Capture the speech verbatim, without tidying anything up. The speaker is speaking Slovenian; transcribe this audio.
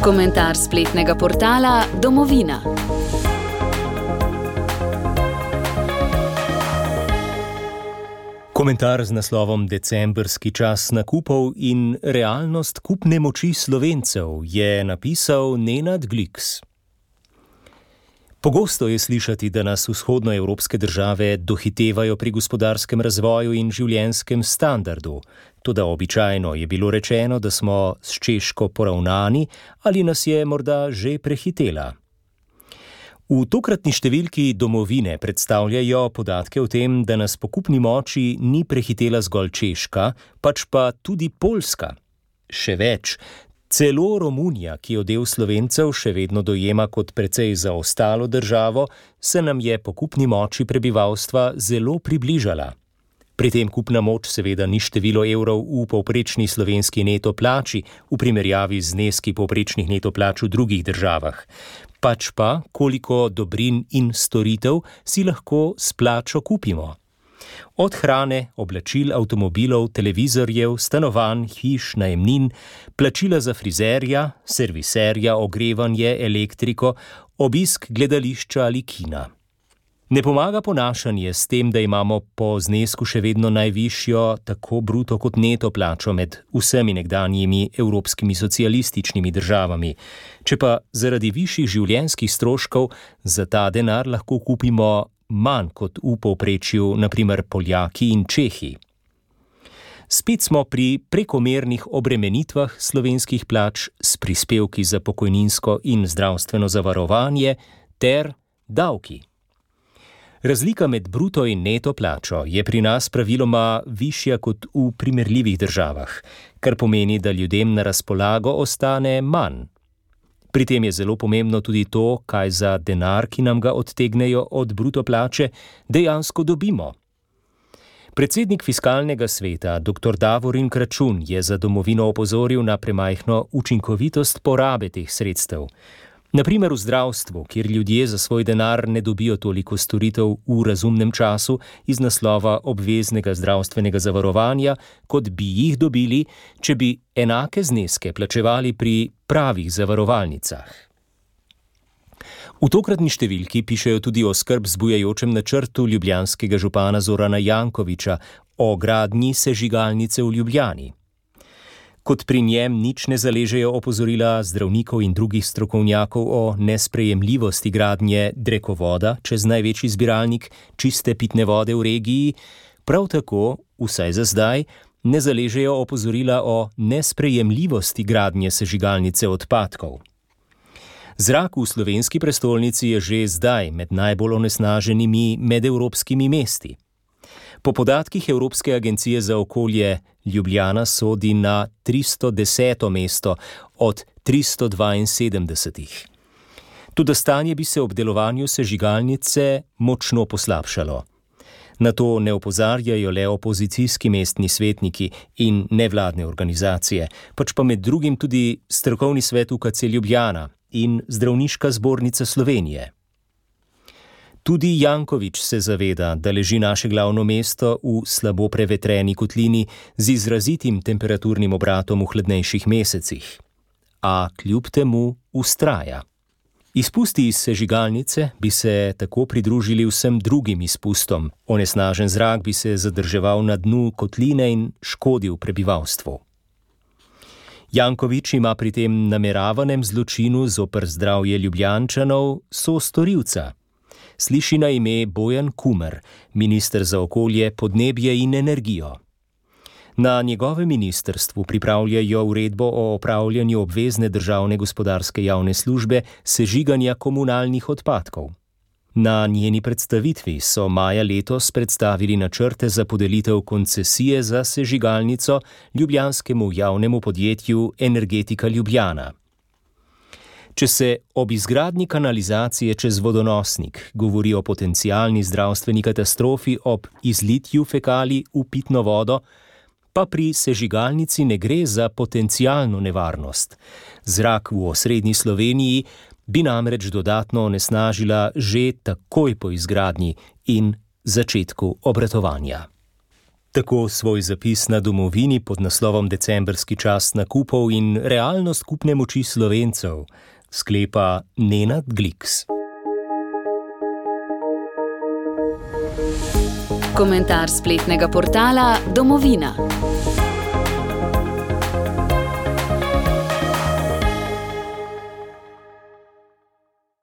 Komentar spletnega portala Domovina. Komentar z naslovom Decembrski čas nakupov in realnost kupne moči Slovencev je napisal Nenad Gliks. Pogosto je slišati, da nas vzhodnoevropske države dohitevajo pri gospodarskem razvoju in življenjskem standardu. Toda običajno je bilo rečeno, da smo s Češko poravnani ali nas je morda že prehitela. V tokratni številki Domovine predstavljajo podatke o tem, da nas po kupni moči ni prehitela zgolj Češka, pač pa tudi Poljska. Še več, celo Romunija, ki jo del Slovencev še vedno dojema kot precej zaostalo državo, se nam je po kupni moči prebivalstva zelo približala. Pri tem kupna moč seveda ni število evrov v povprečni slovenski neto plači v primerjavi z zneski povprečnih neto plač v drugih državah, pač pa koliko dobrin in storitev si lahko s plačo kupimo. Od hrane, oblačil, avtomobilov, televizorjev, stanovanj, hiš, najemnin, plačila za frizerja, serviserja, ogrevanje, elektriko, obisk gledališča ali kina. Ne pomaga ponašanje s tem, da imamo po znesku še vedno najvišjo tako bruto kot neto plačo med vsemi nekdanjimi evropskimi socialističnimi državami. Če pa zaradi višjih življenjskih stroškov za ta denar lahko kupimo manj kot v povprečju, na primer Poljaki in Čehi. Spet smo pri prekomernih obremenitvah slovenskih plač s prispevki za pokojninsko in zdravstveno zavarovanje ter davki. Razlika med bruto in neto plačo je pri nas praviloma višja kot v primerljivih državah, kar pomeni, da ljudem na razpolago ostane manj. Pri tem je zelo pomembno tudi to, kaj za denar, ki nam ga odtegnejo od bruto plače, dejansko dobimo. Predsednik Fiskalnega sveta, doktor Davorin Kračun, je za Domovino opozoril na premajhno učinkovitost porabe teh sredstev. Na primer v zdravstvu, kjer ljudje za svoj denar ne dobijo toliko storitev v razumnem času iz naslova obveznega zdravstvenega zavarovanja, kot bi jih dobili, če bi enake zneske plačevali pri pravih zavarovalnicah. V tokratni številki pišejo tudi o skrb zbujajočem načrtu ljubljanskega župana Zorana Jankovića o gradnji sežigalnice v Ljubljani. Kot pri njem nič ne zaležejo opozorila zdravnikov in drugih strokovnjakov o nesprejemljivosti gradnje drekovoda čez največji zbiralnik čiste pitne vode v regiji, prav tako, vsaj za zdaj, ne zaležejo opozorila o nesprejemljivosti gradnje sežigalnice odpadkov. Zrak v slovenski prestolnici je že zdaj med najbolj onesnaženimi medevropskimi mesti. Po podatkih Evropske agencije za okolje Ljubljana sodi na tristo deseto mesto od tristo dvainsedemdesetih. Toda stanje bi se ob delovanju sežigalnice močno poslabšalo. Na to ne opozarjajo le opozicijski mestni svetniki in nevladne organizacije, pač pa med drugim tudi strokovni svet U K C Ljubljana in Zdravniška zbornica Slovenije. Tudi Janković se zaveda, da leži naše glavno mesto v slabo prevetreni kotlini z izrazitim temperaturnim obratom v hladnejših mesecih. A kljub temu vztraja. Izpusti iz sežigalnice bi se tako pridružili vsem drugim izpustom. Onesnažen zrak bi se zadrževal na dnu kotline in škodil prebivalstvu. Janković ima pri tem nameravanem zločinu zoper zdravje Ljubljančanov sostorilca. Sliši na ime Bojan Kumer, minister za okolje, podnebje in energijo. Na njegovem ministrstvu pripravljajo uredbo o opravljanju obvezne državne gospodarske javne službe sežiganja komunalnih odpadkov. Na njeni predstavitvi so maja letos predstavili načrte za podelitev koncesije za sežigalnico ljubljanskemu javnemu podjetju Energetika Ljubljana. Če se ob izgradnji kanalizacije čez vodonosnik govori o potencialni zdravstveni katastrofi ob izlitju fekalij v pitno vodo, pa pri sežigalnici ne gre za potencialno nevarnost. Zrak v osrednji Sloveniji bi namreč dodatno onesnažila že takoj po izgradnji in začetku obratovanja. Tako svoj zapis na Domovini pod naslovom Decembrski čas nakupov in realnost kupne moči Slovencev sklepa Nenad Gliks. Komentar spletnega portala Domovina.